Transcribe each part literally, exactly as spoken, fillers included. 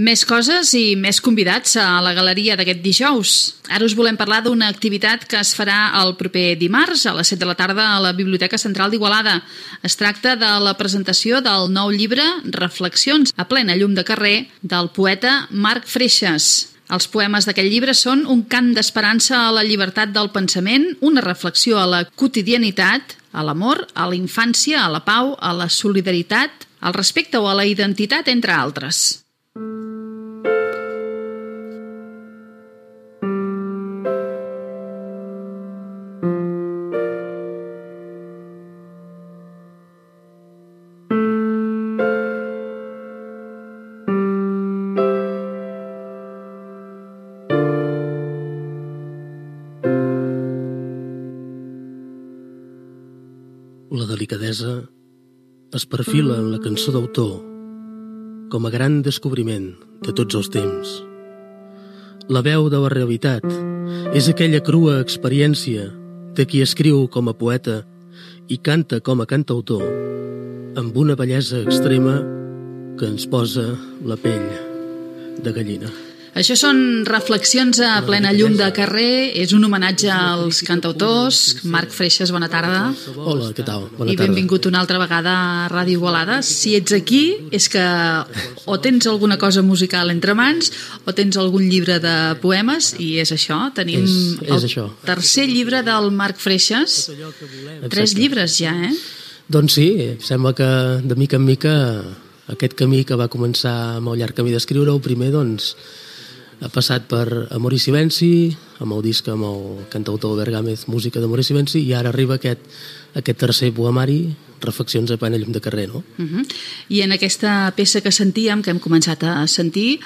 Més coses i més convidats a la galeria d'aquest dijous. Ara us volem parlar d'una activitat que es farà el proper dimarts a les set de la tarda a la Biblioteca Central d'Igualada. Es tracta de la presentació del nou llibre Reflexions a plena llum de carrer del poeta Marc Freixas. Els poemes d'aquest llibre són un cant d'esperança a la llibertat del pensament, una reflexió a la quotidianitat, a l'amor, a la infància, a la pau, a la solidaritat, al respecte o a la identitat, entre altres. La delicadesa es perfila en la cançó d'autor com a gran descobriment de tots els temps. La veu de la realitat és aquella crua experiència de qui escriu com a poeta i canta com a cantautor amb una bellesa extrema que ens posa la pell de gallina. Això són Reflexions a plena llum de carrer, és un homenatge als cantautors. Marc Freixas, bona tarda. Hola, què tal? Bona I benvingut una altra vegada a Ràdio Igualada. Si ets aquí és que o tens alguna cosa musical entre mans o tens algun llibre de poemes, i és això, tenim és, és el això. tercer llibre del Marc Freixas. Tres llibres ja, eh? Doncs sí, sembla que de mica en mica aquest camí que va començar amb el llarg camí d'escriure, el primer, doncs, ha passat per Amor i Silenci, amb el disc amb el cantautor Bergámez, música d'Amor i Silenci, i ara arriba aquest, aquest tercer poemari, Reflexions a plena llum de carrer, no? Uh-huh. I en aquesta peça que sentíem, que hem començat a sentir,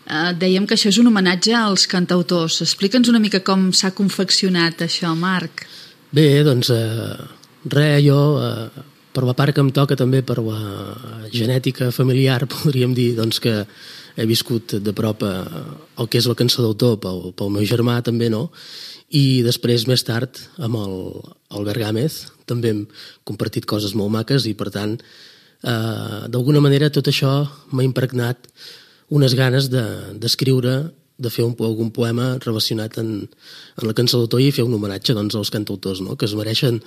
eh, dèiem que això és un homenatge als cantautors. Explica'ns una mica com s'ha confeccionat això, Marc. Bé, doncs, eh, res, jo, eh, per la part que em toca també, per la genètica familiar, podríem dir, doncs, que he viscut de prop el que és la cançó d'autor pel, pel meu germà també, no? I després, més tard, amb el, el Bergámez també hem compartit coses molt maques i, per tant, eh, d'alguna manera tot això m'ha impregnat unes ganes d'escriure, de, de fer un, algun poema relacionat en, en la cançó d'autor i fer un homenatge, doncs, als cantautors, no? Que es mereixen,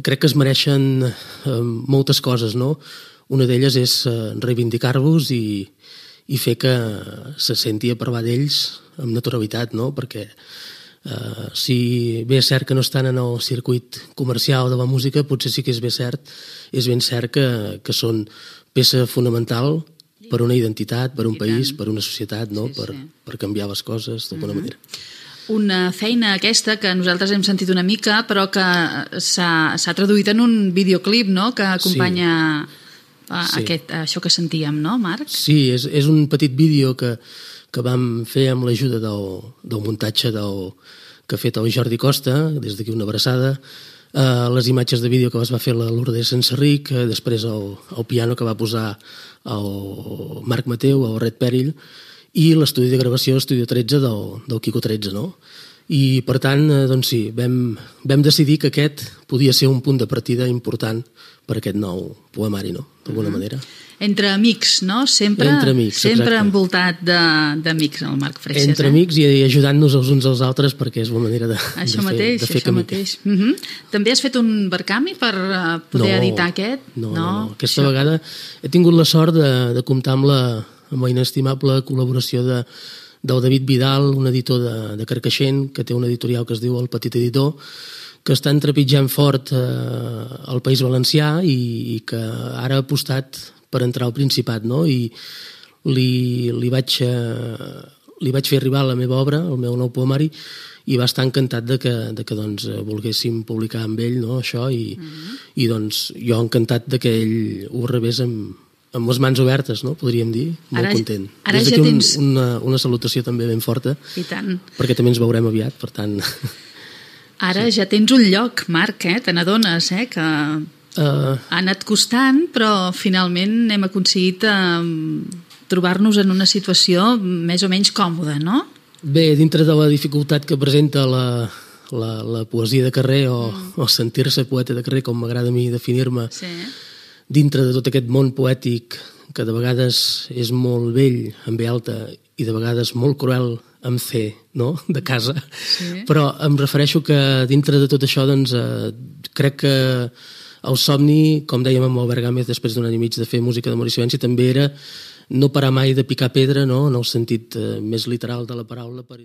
crec que es mereixen eh, moltes coses, no? Una d'elles és eh, reivindicar-los i i fer que se senti a parlar d'ells amb naturalitat, no? Perquè eh, si bé és cert que no estan en el circuit comercial de la música, potser sí que és ben cert, és ben cert que, que són peça fonamental per una identitat, per un país, per una societat, no? Sí, per, sí. per canviar les coses d'alguna uh-huh. manera. Una feina aquesta que nosaltres hem sentit una mica, però que s'ha traduït en un videoclip, no? Que acompanya... Sí. Sí. Aquest, això que sentíem, no, Marc? Sí, és, és un petit vídeo que, que vam fer amb l'ajuda del, del muntatge del, que ha fet el Jordi Costa, des d'aquí una abraçada, eh, les imatges de vídeo que es va fer la Lourdes Senserric, eh, després el, el piano que va posar el Marc Mateu, el Red Perill, i l'estudi de gravació, Estudio tretze, del, del Quico tretze, no? I, per tant, eh, doncs sí, vam, vam decidir que aquest podia ser un punt de partida important per aquest nou poemari, no? D'alguna uh-huh. manera. Entre amics, no? Sempre, Entre amics, sempre envoltat d'amics, el Marc Freixas. Entre eh? amics i, i ajudant-nos els uns als altres, perquè és una manera de, això de, mateix, fer, de fer això camí. Mateix. Uh-huh. També has fet un Berkami per uh, poder no, editar aquest? No, no, no. Aquesta això... vegada he tingut la sort de, de comptar amb la, amb la inestimable col·laboració de del David Vidal, un editor de, de Carcaixent, que té un editorial que es diu El Petit Editor, que està entrepitjant fort eh, al País Valencià i, i que ara ha apostat per entrar al Principat, no? I li, li, vaig, eh, li vaig fer arribar la meva obra, el meu nou poemari, i va estar encantat de que, de que doncs, volguéssim publicar amb ell, no? Això, i, mm-hmm. i doncs, jo encantat de que ell ho rebés amb amb les mans obertes, no? Podríem dir, molt ara, content. Ara Des d'aquí ja un, tens... una, una salutació també ben forta, I tant. Perquè també ens veurem aviat, per tant... Ara sí. Ja tens un lloc, Marc, eh? Te n'adones, eh? Que uh... ha anat costant, però finalment hem aconseguit uh, trobar-nos en una situació més o menys còmoda, no? Bé, dintre de la dificultat que presenta la, la, la poesia de carrer o, mm. o sentir-se poeta de carrer, com m'agrada a mi definir-me, sí. dintre de tot aquest món poètic que de vegades és molt vell amb B alta i de vegades molt cruel amb C, no?, de casa. Sí. Però em refereixo que dintre de tot això, doncs, eh, crec que el somni, com dèiem amb Albert Gámez després d'un any i mig de fer música de Maurici Venci, també era no parar mai de picar pedra, no?, en el sentit eh, més literal de la paraula, per